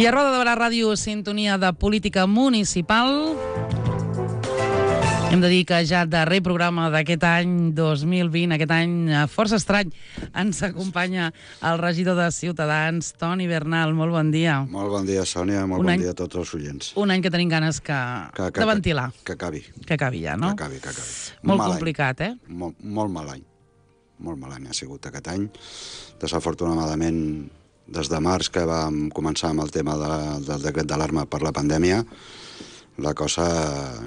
I a Roda de Barà Ràdio, sintonia de política municipal. Hem de dir que ja darrer programa d'aquest any 2020, aquest any força estrany, ens acompanya el regidor de Ciutadans, Toni Bernal. Molt bon dia. Molt bon dia, Sònia. Molt bon dia a tots els oients. Un any que tenim ganes de ventilar. Que acabi. Que acabi ja, no? Que acabi. Molt complicat, eh? Molt mal any. Molt mal any ha sigut aquest any. Desafortunadament, des de març, que vam començar amb el tema del decret d'alarma per la pandèmia, la cosa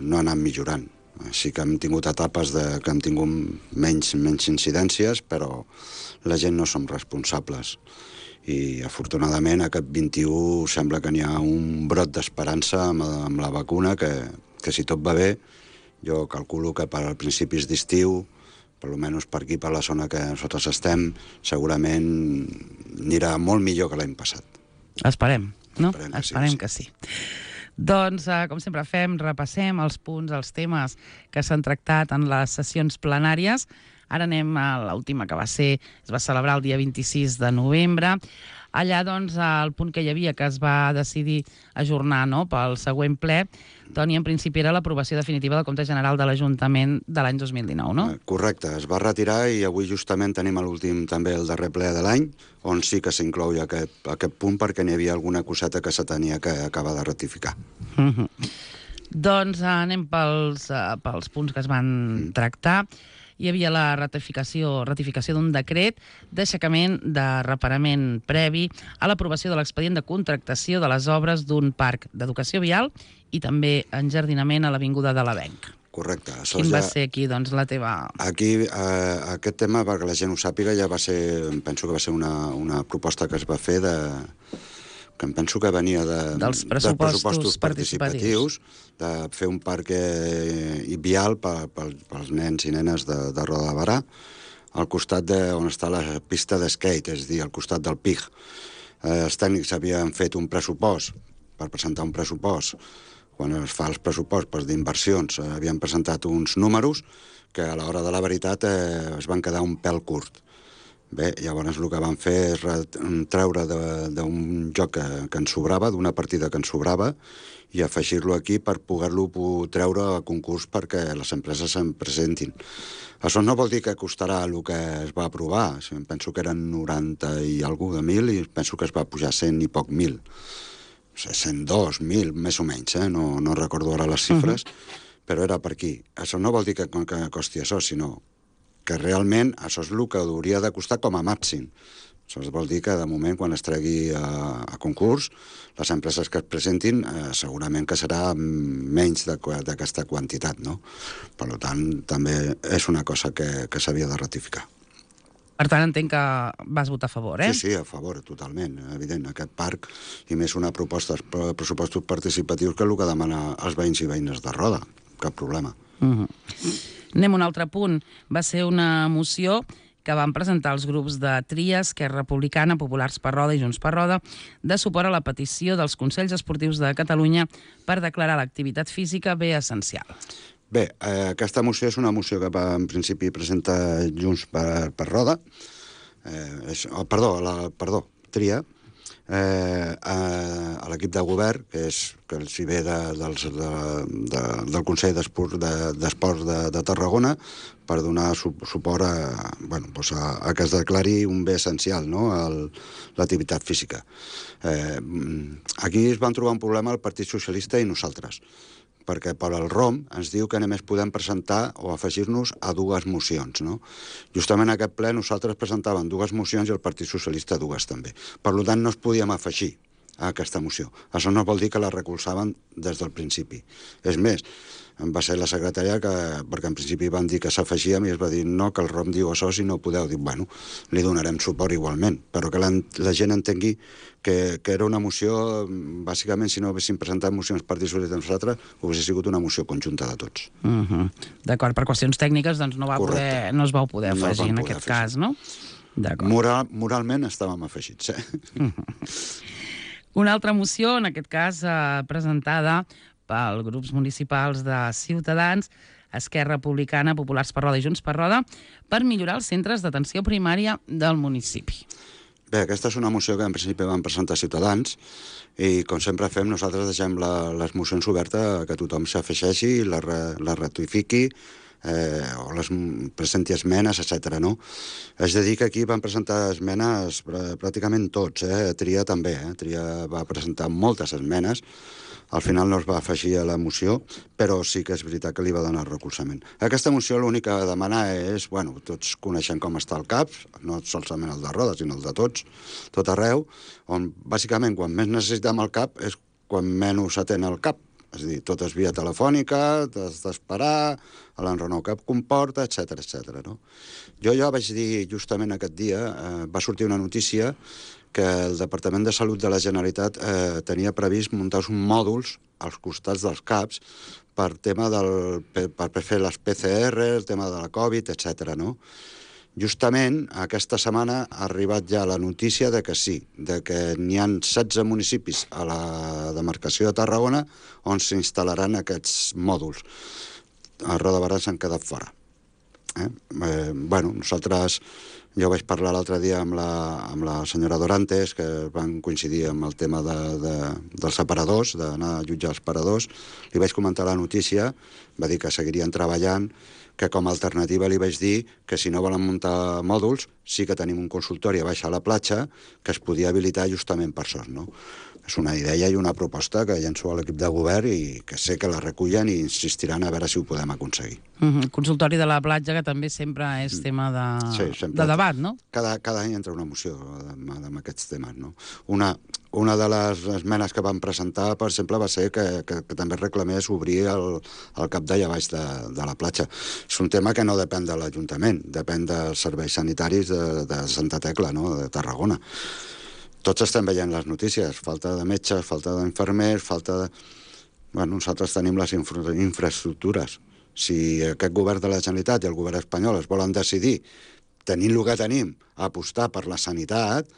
no ha anat millorant. Sí que hem tingut etapes que hem tingut menys incidències, però la gent no som responsables. I, afortunadament, aquest 21 sembla que n'hi ha un brot d'esperança amb la vacuna, que si tot va bé, jo calculo que per als principis d'estiu, per almenys per aquí, per la zona que nosaltres estem, segurament anirà molt millor que l'any passat. Esperem, no? Esperem que sí. Doncs, com sempre fem, repassem els punts, els temes que s'han tractat en les sessions plenàries. Ara anem a l'última, que es va celebrar el dia 26 de novembre. Allà, doncs, el punt que hi havia, que es va decidir ajornar, no?, pel següent ple, Toni, en principi era l'aprovació definitiva del compte general de l'Ajuntament de l'any 2019, no? Correcte, es va retirar i avui justament tenim l'últim, també el darrer ple de l'any, on sí que s'inclou aquest punt perquè n'hi havia alguna coseta que se tenia que acabar de ratificar. Doncs anem pels punts que es van tractar. Hi havia la ratificació d'un decret d'aixecament de reparament previ a l'aprovació de l'expedient de contractació de les obres d'un parc d'educació vial i també enjardinament a l'Avinguda de l'Avenc. Correcte. Quin va ser aquí, doncs, la teva... Aquí, aquest tema, perquè la gent ho sàpiga, ja va ser, penso que va ser una proposta que es va fer que em penso que venia dels pressupostos participatius, de fer un parc vial pels nens i nenes de Roda de Barà, al costat on està la pista d'esquate, és a dir, al costat del PIG. Els tècnics havien fet un pressupost, per presentar un pressupost, quan es fa els pressupostos d'inversions, havien presentat uns números que a l'hora de la veritat es van quedar un pèl curt. Bé, llavors el que vam fer és treure d'un joc que ens sobrava, d'una partida que ens sobrava, i afegir-lo aquí per poder-lo treure a concurs perquè les empreses se'n presentin. Això no vol dir que costarà el que es va aprovar. Penso que eren 90 i alguna de 1.000 i penso que es va pujar 100 i poc 1.000. 102, 1.000, més o menys, no recordo ara les xifres, però era per aquí. Això no vol dir que costi això, sinó que realment això és el que hauria de costar com a màxim. Això vol dir que, de moment, quan es tregui a concurs, les empreses que es presentin segurament que serà menys d'aquesta quantitat, no? Per tant, també és una cosa que s'havia de ratificar. Per tant, entenc que vas votar a favor, eh? Sí, a favor, totalment, evident. Aquest parc, i més una proposta de pressupostos participatius, que és el que demana els veïns i veïnes de Roda. Cap problema. Anem a un altre punt. Va ser una moció que van presentar els grups de Tria, Esquerra Republicana, Populars per Roda i Junts per Roda, de suport a la petició dels Consells Esportius de Catalunya per declarar l'activitat física bé essencial. Bé, aquesta moció és una moció que va, en principi, presentar Junts per Roda, Tria, a l'equip de govern, que els hi ve del Consell d'Esports de Tarragona, per donar suport a que es declari un bé essencial, no?, l'activitat física. Aquí es van trobar un problema el Partit Socialista i nosaltres, perquè per al ROM ens diu que només podem presentar o afegir-nos a dues mocions, no? Justament en aquest ple nosaltres presentàvem dues mocions i el Partit Socialista dues també. Per tant, no es podíem afegir a aquesta moció. Això no vol dir que la recolzaven des del principi. És més, va ser la secretària perquè en principi van dir que s'afegíem i es va dir no, que el ROM diu això, si no podeu. Dic, bueno, li donarem suport igualment, però que la gent entengui que era una moció, bàsicament, si no haguéssim presentat mocions Partit Socialista nosaltres, hauria sigut una moció conjunta de tots. D'acord, per qüestions tècniques doncs no es va poder afegir en aquest cas, no? Moralment estàvem afegits, Una altra moció, en aquest cas presentada pels grups municipals de Ciutadans, Esquerra Republicana, Populars per Roda i Junts per Roda, per millorar els centres d'atenció primària del municipi. Bé, aquesta és una moció que en principi van presentar Ciutadans i, com sempre fem, nosaltres deixem les mocions obertes que tothom s'afegeixi, la ratifiqui, o presenti esmenes, etc. No? És de dir que aquí van presentar esmenes pràcticament tots, Tria també, Tria va presentar moltes esmenes, al final no es va afegir a la moció, però sí que és veritat que li va donar recolzament. Aquesta moció l'únic que demana és, bueno, tots coneixem com està el CAP, no solament el de Roda, sinó el de tots, tot arreu, on bàsicament quan més necessitem el CAP és quan menys atén el CAP. És a dir, tot és via telefònica, t'has d'esperar, l'enrenou que comporta, etc. No? Jo ja vaig dir justament aquest dia, va sortir una notícia que el Departament de Salut de la Generalitat tenia previst muntar uns mòduls als costats dels CAPs per fer les PCR, el tema de la Covid, etc. No? Justament aquesta setmana ha arribat ja la notícia de que sí, de que n'hi ha 16 municipis a la demarcació de Tarragona on s'instal·laran aquests mòduls. A Roda de Barà s'han quedat fora. Bueno, nosaltres, jo vaig parlar l'altre dia amb la senyora Dorantes, que van coincidir amb el tema dels separadors, d'anar a jutjar els separadors. Li vaig comentar la notícia, va dir que seguirien treballant, que com a alternativa li vaig dir que si no volen muntar mòduls, sí que tenim un consultori a baix a la platja que es podia habilitar justament per això, no? És una idea i una proposta que llenço a l'equip de govern i que sé que la recullen i insistiran a veure si ho podem aconseguir. Consultori de la platja, que també sempre és tema de debat, no? Cada any entra una moció amb aquests temes, no? Una de les esmenes que van presentar, per exemple, va ser que també reclamés obrir el cap d'allà baix de la platja. És un tema que no depèn de l'Ajuntament, depèn dels serveis sanitaris de Santa Tecla, no?, de Tarragona. Tots estem veient les notícies, falta de metges, falta d'infermers, falta de... Bueno, nosaltres tenim les infraestructures. Si aquest govern de la Generalitat i el govern espanyol es volen decidir, tenint el que tenim, a apostar per la sanitat,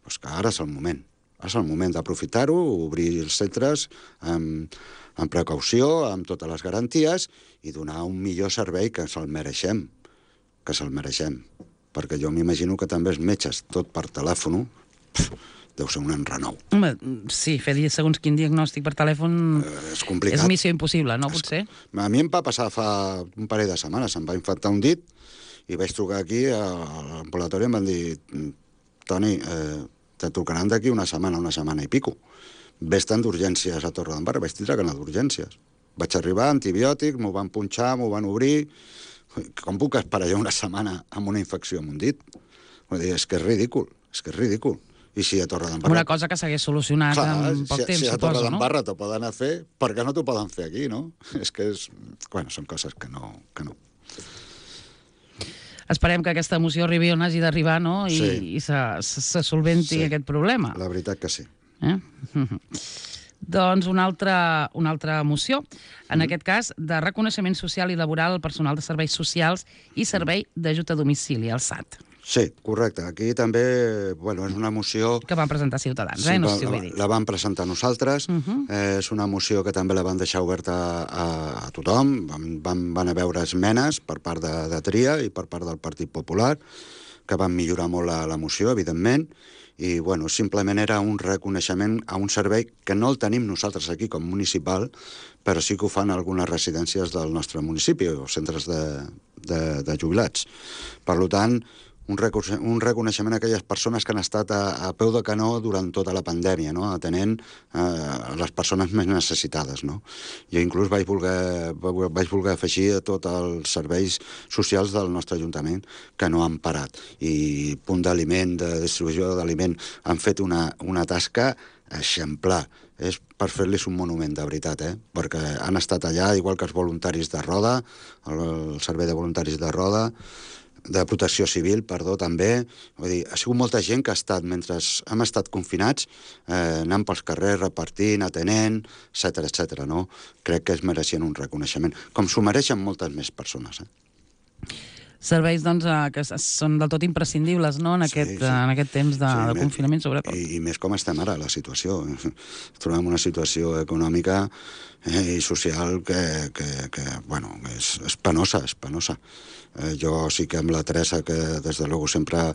doncs que ara és el moment. És el moment d'aprofitar-ho, obrir els centres amb precaució, amb totes les garanties, i donar un millor servei que se'l mereixem. Que se'l mereixem. Perquè jo m'imagino que també els metges, tot per telèfon, deu ser un enrenou. Home, sí, fer segons quin diagnòstic per telèfon és complicat. És missió impossible, no, potser? A mi em va passar fa un parell de setmanes, em va infectar un dit i vaig trucar aquí a l'ambulatori i em van dir: Toni, te trucaran d'aquí una setmana i pico. Vés-te'n d'urgències a Torredembarra. Vaig tindre que anar d'urgències. Vaig arribar, antibiòtic, m'ho van punxar, m'ho van obrir... Com puc esperar jo una setmana amb una infecció amb un dit? Vull dir, és que és ridícul. I si a Torredembarra... Una cosa que s'hagués solucionat en poc temps, si a suposo, no? Torredembarra t'ho poden fer, per què no t'ho poden fer aquí, no? És que bueno, són coses que no. Esperem que aquesta moció arribi on hagi d'arribar, no? I se solventi aquest problema. La veritat que sí. Doncs una altra moció, en aquest cas de reconeixement social i laboral al personal de serveis socials i servei d'ajut a domicili, el SAT. Sí, correcte. Aquí també, bueno, és una moció... Que van presentar Ciutadans, sí, no sé si ho he dit. La van presentar nosaltres. És una moció que també la van deixar oberta a tothom. Van haver esmenes per part de Tria i per part del Partit Popular, que van millorar molt la moció, evidentment. I, bueno, simplement era un reconeixement a un servei que no el tenim nosaltres aquí com municipal, però sí que ho fan algunes residències del nostre municipi o centres de jubilats. Per tant, un reconeixement a aquelles persones que han estat a peu de canó durant tota la pandèmia, no? Atenent les persones més necessitades, no? Jo inclús vaig voler afegir a tots els serveis socials del nostre Ajuntament que no han parat. I Punt d'Aliment, de distribució d'aliment, han fet una tasca exemplar. És per fer-los un monument, de veritat, perquè han estat allà, igual que els voluntaris de Roda, el servei de voluntaris de Roda, de Protecció Civil, també. Vull dir, ha sigut molta gent que ha estat, mentre hem estat confinats, anant pels carrers, repartint, atenent, etc. No? Crec que es mereixen un reconeixement, com s'ho mereixen moltes més persones. Serveis, doncs, que són del tot imprescindibles, no?, en aquest temps de confinament, sobretot. I més com estem ara, la situació. Trobem una situació econòmica i social que bueno, és penosa. Jo sí que amb la Teresa, que des de luego sempre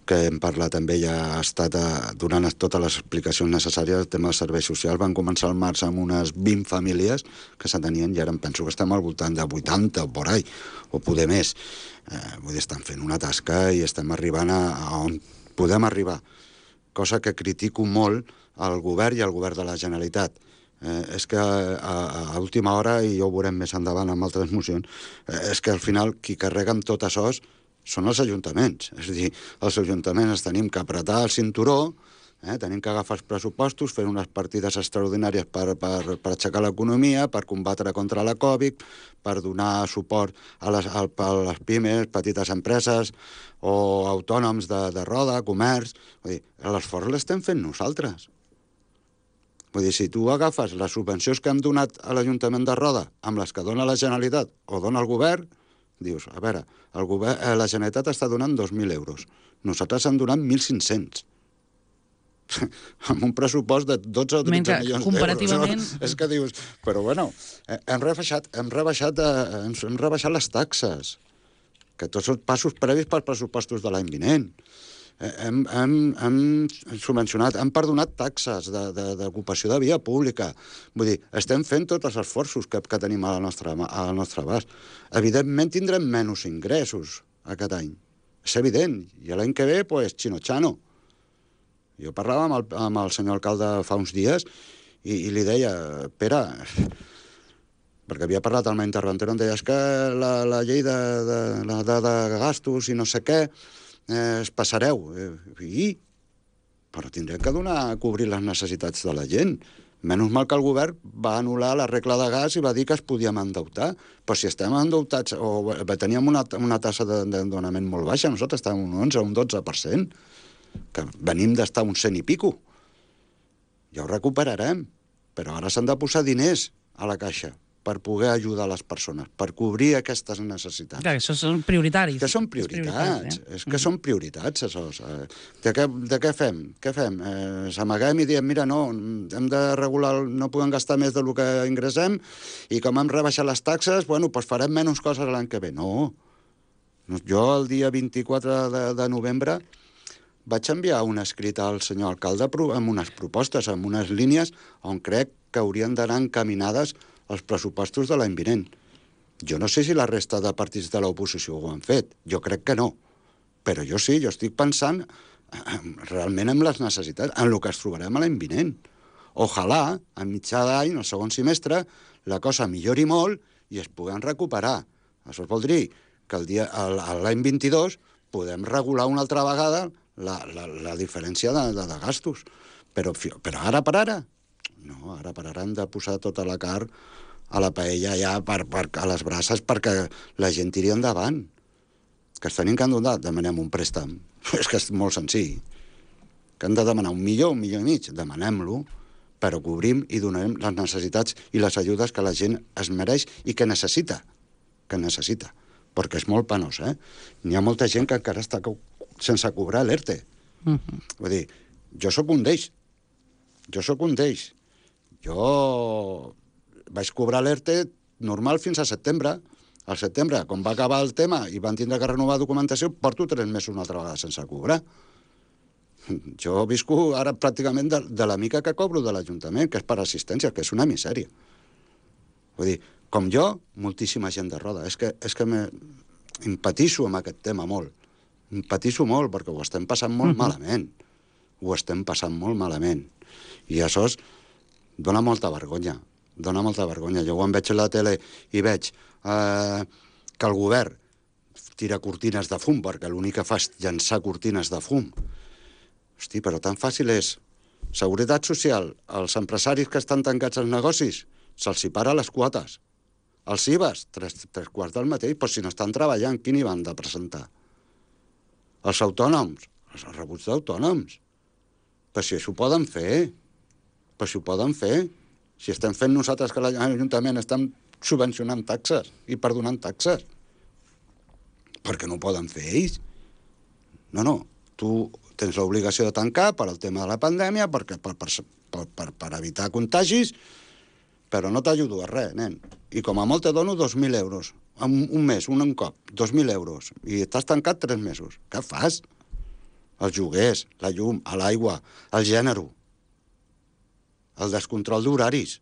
que hem parlat amb ella, ha estat donant totes les explicacions necessàries al tema dels serveis socials. Van començar al març amb unes 20 famílies que s'atenien i ara em penso que estem al voltant de 80 o por ahí, o poder més. Vull dir, estan fent una tasca i estem arribant a on podem arribar. Cosa que critico molt al govern i al govern de la Generalitat. És que a última hora, i ja ho veurem més endavant amb altres mocions, és que al final qui carrega amb tot això són els ajuntaments. És a dir, els ajuntaments tenim que apretar el cinturó, tenim que agafar els pressupostos, fer unes partides extraordinàries per aixecar l'economia, per combatre contra la Covid, per donar suport a les pimes, petites empreses o autònoms de roda, comerç. Vull dir, l'esforç l'estem fent nosaltres. Vull dir, si tu agafes les subvencions que hem donat a l'Ajuntament de Roda amb les que dona la Generalitat o dona el govern, dius, a veure, la Generalitat està donant 2.000 euros. Nosaltres hem donat 1.500. Amb un pressupost de 12 o 13 milions comparativament... d'euros. És que dius, però bueno, hem rebaixat les taxes, que tots són passos previs pels pressupostos de l'any vinent. Hem subvencionat, hem perdonat taxes d'ocupació de via pública. Vull dir, estem fent tots els esforços que tenim al nostre abast. Evidentment tindrem menys ingressos aquest any. És evident. I l'any que ve, pues, xino-xano. Jo parlava amb el senyor alcalde fa uns dies i li deia, Pere, perquè havia parlat amb la interventora, em deia, és que la llei de gastos i no sé què, es passareu. Però tindrem que cobrir les necessitats de la gent. Menys mal que el govern va anul·lar la regla de gas i va dir que es podíem endeutar. Però si estem endeutats, o teníem una tassa d'endeutament molt baixa, nosaltres estàvem un 11 o un 12%, que venim d'estar un 100 i pico. Ja ho recuperarem, però ara s'han de posar diners a la caixa per poder ajudar les persones, per cobrir aquestes necessitats. Clar, això són prioritaris. Que són prioritats, és que són prioritats, això. De què fem? Què fem? S'amaguem i diem, mira, no, hem de regular, no podem gastar més del que ingressem, i com hem rebaixat les taxes, bueno, doncs farem menys coses l'any que ve. No. Jo el dia 24 de novembre vaig enviar un escrit al senyor alcalde amb unes propostes, amb unes línies on crec que haurien d'anar encaminades els pressupostos de l'any vinent. Jo no sé si la resta de partits de l'oposició ho han fet. Jo crec que no. Però jo sí, jo estic pensant realment en les necessitats, en el que es trobarem l'any vinent. Ojalà, a mitjà d'any, el segon semestre, la cosa millori molt i es puguen recuperar. Això vol dir que l'any 22 podem regular una altra vegada la diferència de gastos. Però ara per ara, no, ara per ara hem de posar tota la carn a la paella ja a les braces perquè la gent tiri endavant. Que es tenim que donar, demanem un préstec. És que és molt senzill. Que hem de demanar 1 milió i mig, demanem-lo, però cobrim i donem les necessitats i les ajudes que la gent es mereix i que necessita. Perquè és molt penós, N'hi ha molta gent que encara està sense cobrar l'ERTE. Vull dir, jo sóc un d'ells. Jo vaig cobrar l'ERTE normal fins a setembre. Al setembre, quan va acabar el tema i van tindre que renovar documentació, porto 3 mesos una altra vegada sense cobrar. Jo visco ara pràcticament de la mica que cobro de l'Ajuntament, que és per assistència, que és una misèria. Vull dir, com jo, moltíssima gent de Roda. És que empatisso amb aquest tema molt. Empatisso molt perquè ho estem passant molt malament. I això dona molta vergonya. Jo quan veig a la tele i veig que el govern tira cortines de fum, perquè l'únic que fa és llançar cortines de fum. Hosti, però tan fàcil és. Seguretat social, els empresaris que estan tancats als negocis, se'ls para les quotes. Els IVAs, 3 quarts del mateix, però si no estan treballant, quin hi van de presentar? Els autònoms, els rebuts d'autònoms. Però si això ho poden fer. Si estem fent nosaltres que l'Ajuntament estem subvencionant taxes i perdonant taxes. Per què no ho poden fer ells? No. Tu tens l'obligació de tancar per al tema de la pandèmia, per evitar contagis, però no t'ajudo a res, nen. I com a molt te dono 2.000 euros. Un mes, un cop, 2.000 euros. I estàs tancat 3 mesos. Què fas? els lloguers, la llum, l'aigua, el gènere, el descontrol d'horaris.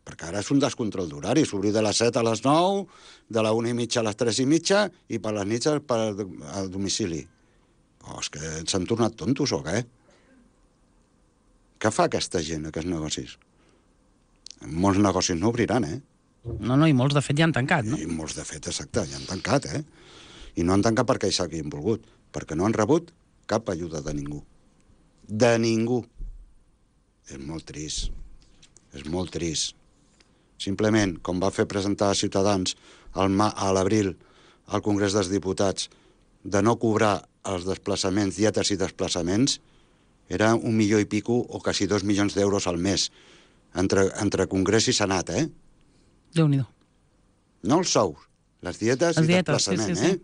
Perquè ara és un descontrol d'horaris, obrir de les 7 a les 9, de la 1:30 a les 3:30 i per les nits al domicili. Oh, és que s'han tornat tontos o què? Què fa aquesta gent, aquests negocis? Molts negocis no obriran, No, i molts de fet ja han tancat, no? I molts de fet, exacte, ja han tancat, I no han tancat perquè ells s'hagin volgut, perquè no han rebut cap ajuda de ningú. De ningú. És molt trist. És molt trist. Simplement, com va fer presentar a Ciutadans a l'abril al Congrés dels Diputats de no cobrar els desplaçaments, dietes i desplaçaments, era 1 milió i pico o quasi 2 milions d'euros al mes entre Congrés i Senat, Déu-n'hi-do. No els sous, les dietes i desplaçament, sí.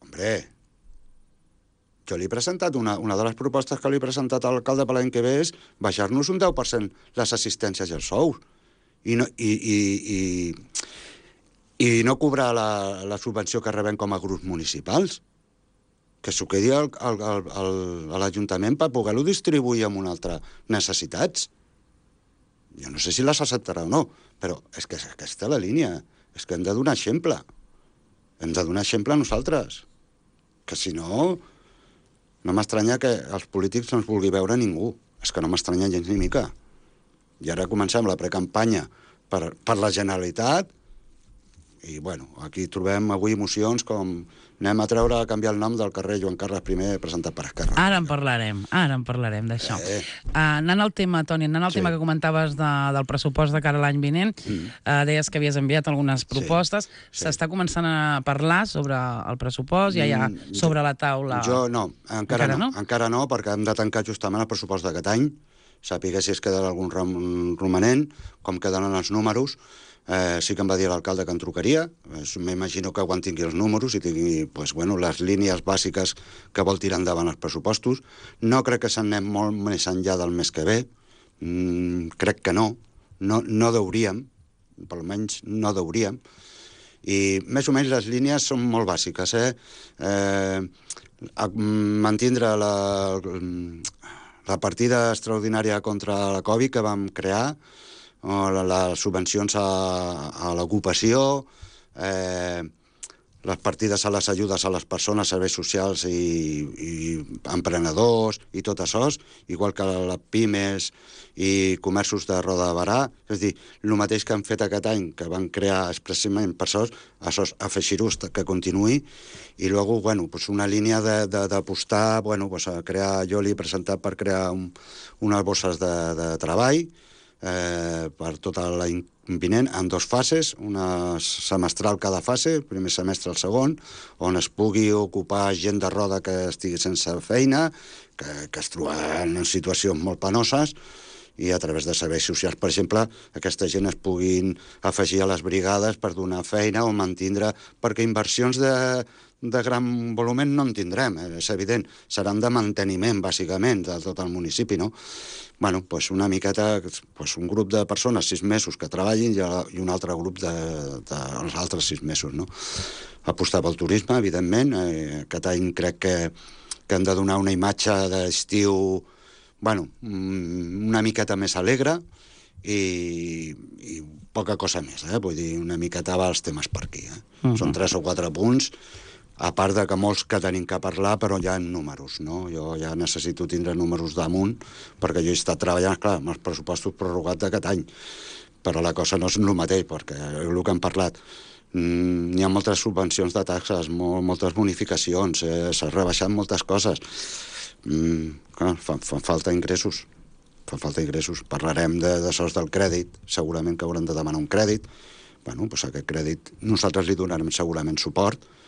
Hombre, jo li he presentat una de les propostes que li he presentat a l'alcalde per l'any que ve és baixar-nos un 10% les assistències i els sous. I no cobrar la subvenció que rebem com a grups municipals. Que s'ho quedi a l'Ajuntament per poder-ho distribuir amb una altra necessitats. Jo no sé si les acceptarà o no, però és que aquesta és la línia. És que hem de donar exemple. Hem de donar exemple a nosaltres. Que si no, no m'estranya que els polítics no ens vulgui veure ningú. És que no m'estranya gens ni mica. I ara comencem la precampanya per la Generalitat i, bueno, aquí trobem avui mocions com anem a canviar el nom del carrer Joan Carles I presentat per Esquerra. Ara en parlarem d'això. Anant al tema, Toni, tema que comentaves del pressupost de cara a l'any vinent, deies que havies enviat algunes propostes. S'està començant a parlar sobre el pressupost, ja hi ha sobre la taula... Jo no, encara no, perquè hem de tancar justament el pressupost d'aquest any, sàpiga si es quedarà algun romanent, com quedaran els números. Sí que em va dir l'alcalde que en trucaria. M'imagino que quan tingui els números i tingui les línies bàsiques que vol tirar endavant els pressupostos. No crec que s'anem molt més enllà del mes que ve. Crec que no. No deuríem. Per almenys no deuríem. I més o menys les línies són molt bàsiques. Mantindre la partida extraordinària contra la Covid que vam crear, les subvencions a l'ocupació, les partides a les ajudes a les persones, serveis socials i emprenedors i tot això, igual que les pimes i comerços de Roda de Barà. És a dir, el mateix que han fet aquest any, que van crear expressament per això, afegir-ho que continuï. I després, una línia d'apostar, a crear, jo li he presentat per crear unes bosses de treball per tota l'any vinent, en 2 fases, una semestral cada fase, el primer semestre el segon, on es pugui ocupar gent de roda que estigui sense feina, que es troba en situacions molt penoses, i a través de serveis socials, per exemple, aquesta gent es puguin afegir a les brigades per donar feina o mantindre, perquè inversions de gran volum no en tindrem, és evident, seran de manteniment, bàsicament, de tot el municipi, no? Una miqueta, un grup de persones 6 mesos que treballin i un altre grup dels altres 6 mesos, no? Apostar pel turisme, evidentment. Aquest any crec que hem de donar una imatge d'estiu, una miqueta més alegre i poca cosa més, vull dir, una miqueta va els temes per aquí. Són 3 o 4 punts, a part de que molts que tenim que parlar, però ja en números, no? Jo ja necessito tindre números damunt, perquè jo he estat treballant, clar, amb els pressupostos prorrogats d'aquest any, però la cosa no és el mateix, perquè el que hem parlat, n'hi ha moltes subvencions de taxes, moltes bonificacions, s'han rebaixat moltes coses. Fan falta ingressos. Parlarem de sols del crèdit, segurament que haurem de demanar un crèdit. Aquest crèdit nosaltres li donarem segurament suport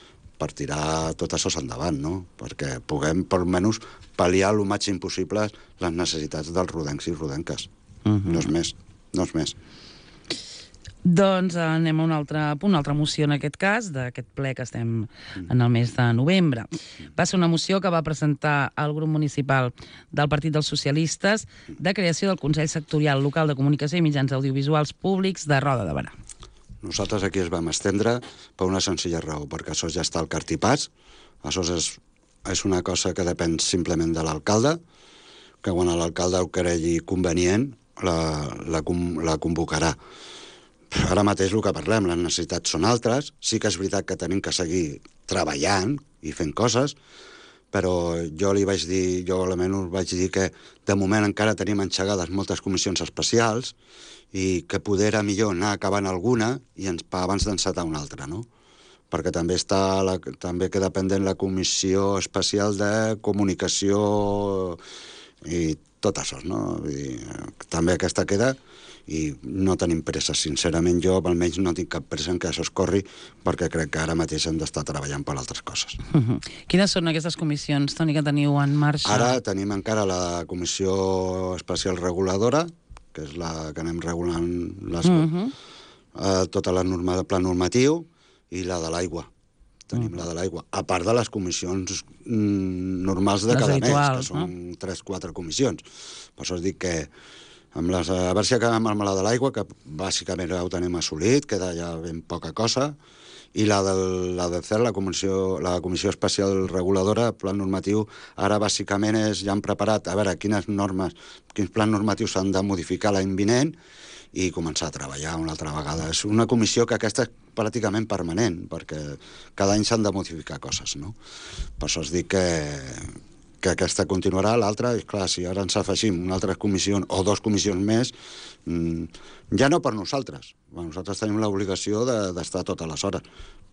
per tirar tot això endavant, no? Perquè puguem, per almenys, pal·liar el màxim possible les necessitats dels rodencs i rodenques. No és més. Doncs anem a un altre punt, una altra moció en aquest cas, d'aquest ple que estem en el mes de novembre. Va ser una moció que va presentar el grup municipal del Partit dels Socialistes de creació del Consell Sectorial Local de Comunicació i Mitjans Audiovisuals Públics de Roda de Barà. Nosaltres aquí es vam estendre per una senzilla raó, perquè això ja està al cartipàs, això és és una cosa que depèn simplement de l'alcalde, que quan l'alcalde ho cregui convenient, la convocarà. Ara mateix el que parlem, les necessitats són altres, sí que és veritat que tenim que seguir treballant i fent coses, però jo almenys vaig dir que de moment encara tenim enxegades moltes comissions especials i que poder era millor anar acabant alguna i abans d'encetar una altra, no? Perquè també queda pendent la comissió especial de comunicació i tot això, no? Vull dir, també aquesta queda i no tenim pressa. Sincerament, jo almenys no tinc cap pressa en que això es corri perquè crec que ara mateix hem d'estar treballant per altres coses. Quines són aquestes comissions, Toni, que teniu en marxa? Ara tenim encara la comissió especial reguladora, que és la que anem regulant tota la norma de pla normatiu, i la de l'aigua. Tenim la de l'aigua. A part de les comissions normals de cada mes, que són 3-4 comissions. Per això us dic que a veure si acabem amb la de l'aigua, que bàsicament ja ho tenim assolit, queda ja ben poca cosa, i la de CER, la Comissió Especial Reguladora, plan normatiu, ara bàsicament ja han preparat a veure quins plans normatius s'han de modificar l'any vinent i començar a treballar una altra vegada. És una comissió que aquesta és pràcticament permanent, perquè cada any s'han de modificar coses, no? Per això us dic que aquesta continuarà, l'altra, i clar, si ara ens afegim una altra comissió o 2 comissions més, ja no per nosaltres. Nosaltres tenim l'obligació d'estar totes les hores,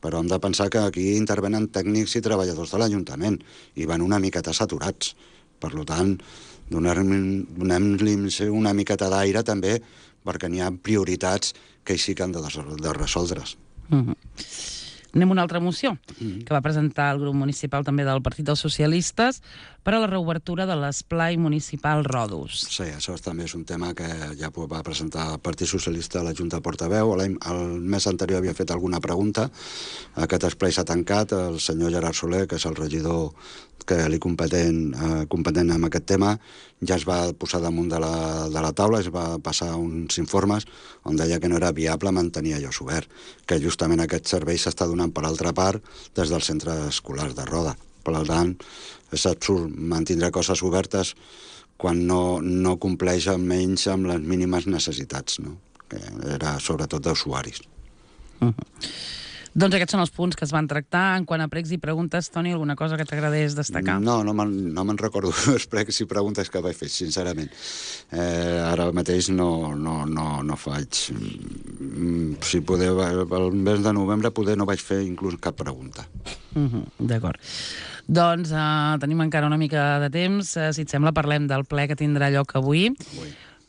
però hem de pensar que aquí intervenen tècnics i treballadors de l'Ajuntament i van una miqueta saturats. Per tant, donem-li una miqueta d'aire també perquè n'hi ha prioritats que sí que han de resoldre's. Anem a una altra moció que va presentar el grup municipal també del Partit dels Socialistes per a la reobertura de l'esplai municipal Ròdols. Sí, això també és un tema que ja va presentar el Partit Socialista a la Junta de Portaveu. El mes anterior havia fet alguna pregunta. Aquest esplai s'ha tancat. El senyor Gerard Soler, que és el regidor que li competent en aquest tema, ja es va posar damunt de la taula, es va passar uns informes on deia que no era viable mantenir allò obert, que justament aquest servei s'està donant per altra part des dels centres escolars de Roda. Per tant, és absurd mantindre coses obertes quan no compleix almenys amb les mínimes necessitats, no? Que era sobretot d'usuaris. Doncs aquests són els punts que es van tractar. En quant a pregs i preguntes, Toni, alguna cosa que t'agradés destacar? No me'n recordo els pregs i preguntes que vaig fer, sincerament. Ara mateix no faig. Si poder, el mes de novembre poder no vaig fer inclús cap pregunta. D'acord. Doncs tenim encara una mica de temps. Si et sembla, parlem del ple que tindrà lloc avui.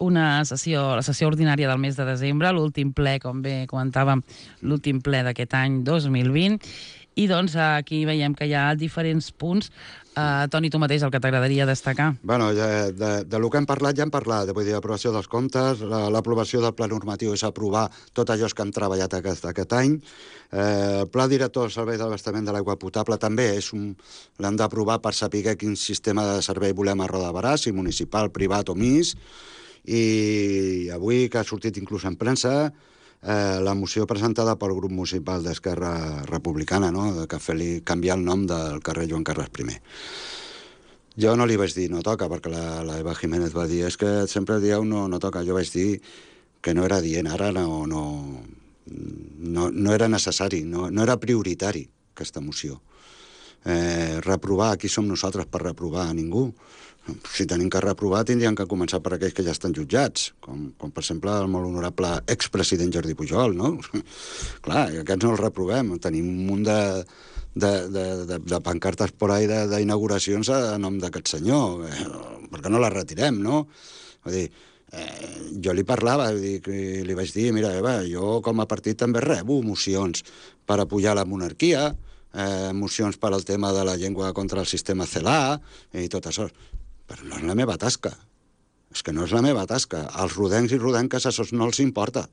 La sessió ordinària del mes de desembre, l'últim ple, com bé comentàvem, l'últim ple d'aquest any 2020. I doncs aquí veiem que hi ha diferents punts. Toni, tu mateix, el que t'agradaria destacar? Bueno, de lo que hem parlat, vull dir, l'aprovació dels comptes, l'aprovació del pla normatiu és aprovar tot allò que hem treballat aquest any. El pla director del servei d'abastament de l'aigua potable també l'hem d'aprovar per saber quin sistema de servei volem a Roda de Berà, si municipal, privat o MIS. I avui, que ha sortit inclús en premsa, la moció presentada pel grup municipal d'Esquerra Republicana, no?, que fer-li canviar el nom del carrer Joan Carles I. Jo no li vaig dir no toca, perquè la Eva Jiménez va dir és que sempre dieu no toca. Jo vaig dir que no era dient, ara no era necessari, no era prioritari aquesta moció. Reprovar, aquí som nosaltres per reprovar a ningú. Si tenim que reprovar, tindrien que començar per aquells que ja estan jutjats, com per exemple el molt honorable expresident Jordi Pujol, no? Clar, aquests no els reprovem. Tenim un munt de pancartes por ahí d'inauguracions a nom d'aquest senyor. Per què no les retirem, no? Vull dir, jo li parlava, li vaig dir, mira, Eva, jo com a partit també rebo mocions per apujar la monarquia, mocions per al tema de la llengua contra el sistema CELA i tot això. Però no és la meva tasca. És que no és la meva tasca. Als rodencs i rodenques això no els importa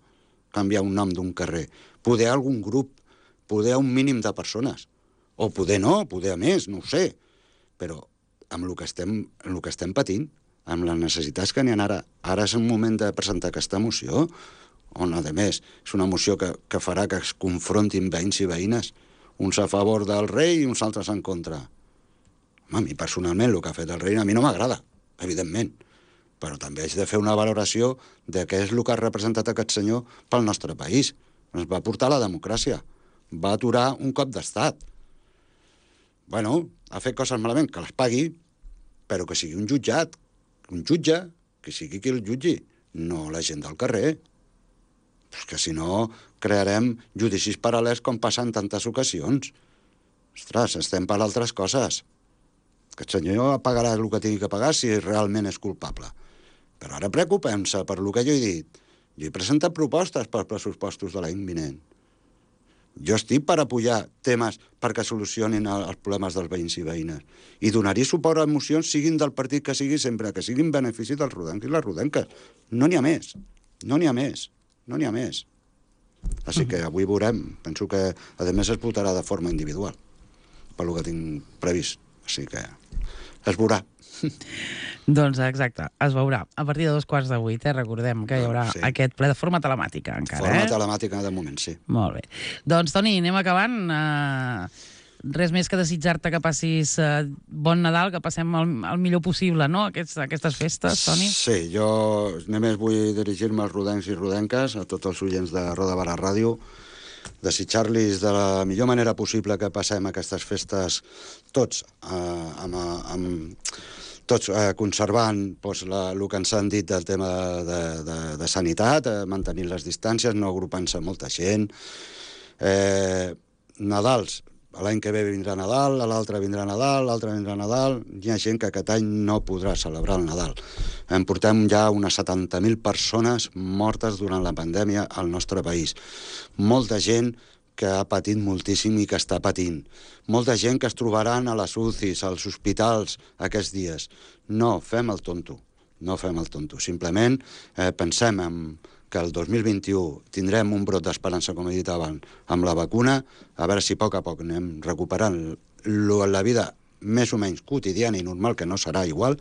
canviar un nom d'un carrer. Poder algun grup, poder un mínim de persones. O poder no, poder a més, no ho sé. Però amb el que estem patint, amb les necessitats que n'hi ha ara és un moment de presentar aquesta moció, on, a més, és una moció que farà que es confrontin veïns i veïnes, uns a favor del rei i uns altres en contra. A mi personalment el que ha fet el rei a mi no m'agrada, evidentment, però també haig de fer una valoració de què és el que ha representat aquest senyor pel nostre país. Ens va portar la democràcia, va aturar un cop d'estat. Bueno, ha fet coses malament, que les pagui, però que sigui un jutjat, un jutge, que sigui qui el jutgi, no la gent del carrer. Pues que si no, crearem judicis paral·lels com passa en tantes ocasions. Ostres, estem per altres coses. Aquest senyor pagarà el que tingui que pagar si realment és culpable. Però ara preocupem-se per el que jo he dit. Jo he presentat propostes per pressupostos de l'any vinent. Jo estic per apoyar temes perquè solucionin els problemes dels veïns i veïnes. I donaria suport a mocions, siguin del partit que sigui, sempre que siguin benefici dels rodencs i les rodenques. No n'hi ha més. No n'hi ha més. No n'hi ha més. Així que avui veurem. Penso que, a més, es votarà de forma individual, pel que tinc previst. Així que es veurà. Doncs exacte, es veurà. A partir de 7:15, recordem que hi haurà aquest ple de forma telemàtica encara. Forma telemàtica de moment, sí. Molt bé. Doncs, Toni, anem acabant. Res més que desitjar-te que passis bon Nadal, que passem el millor possible, no?, aquestes festes, Toni. Sí, jo només vull dirigir-me als rodencs i rodenques, a tots els oients de Roda de Barà Ràdio, desitjar-los de la millor manera possible que passem aquestes festes tots tots conservant el que ens han dit del tema de sanitat, mantenint les distàncies, no agrupant-se molta gent. Nadals, l'any que ve vindrà Nadal, l'altre vindrà Nadal, l'altre vindrà Nadal. Hi ha gent que aquest any no podrà celebrar el Nadal. En portem ja unes 70.000 persones mortes durant la pandèmia al nostre país. Molta gent que ha patit moltíssim i que està patint. Molta gent que es trobaran a les UCIs, als hospitals, aquests dies. No fem el tonto, no fem el tonto. Simplement pensem que el 2021 tindrem un brot d'esperança, com he dit abans, amb la vacuna, a veure si a poc anem recuperant la vida més o menys quotidiana i normal, que no serà igual,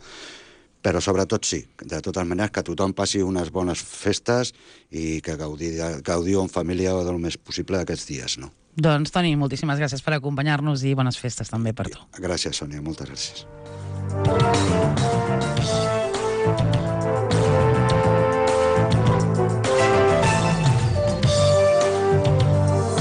però sobretot sí, de totes maneres, que tothom passi unes bones festes i que gaudiu en família del més possible aquests dies, no? Doncs, Toni, moltíssimes gràcies per acompanyar-nos i bones festes també per tu. Gràcies, Sònia, moltes gràcies.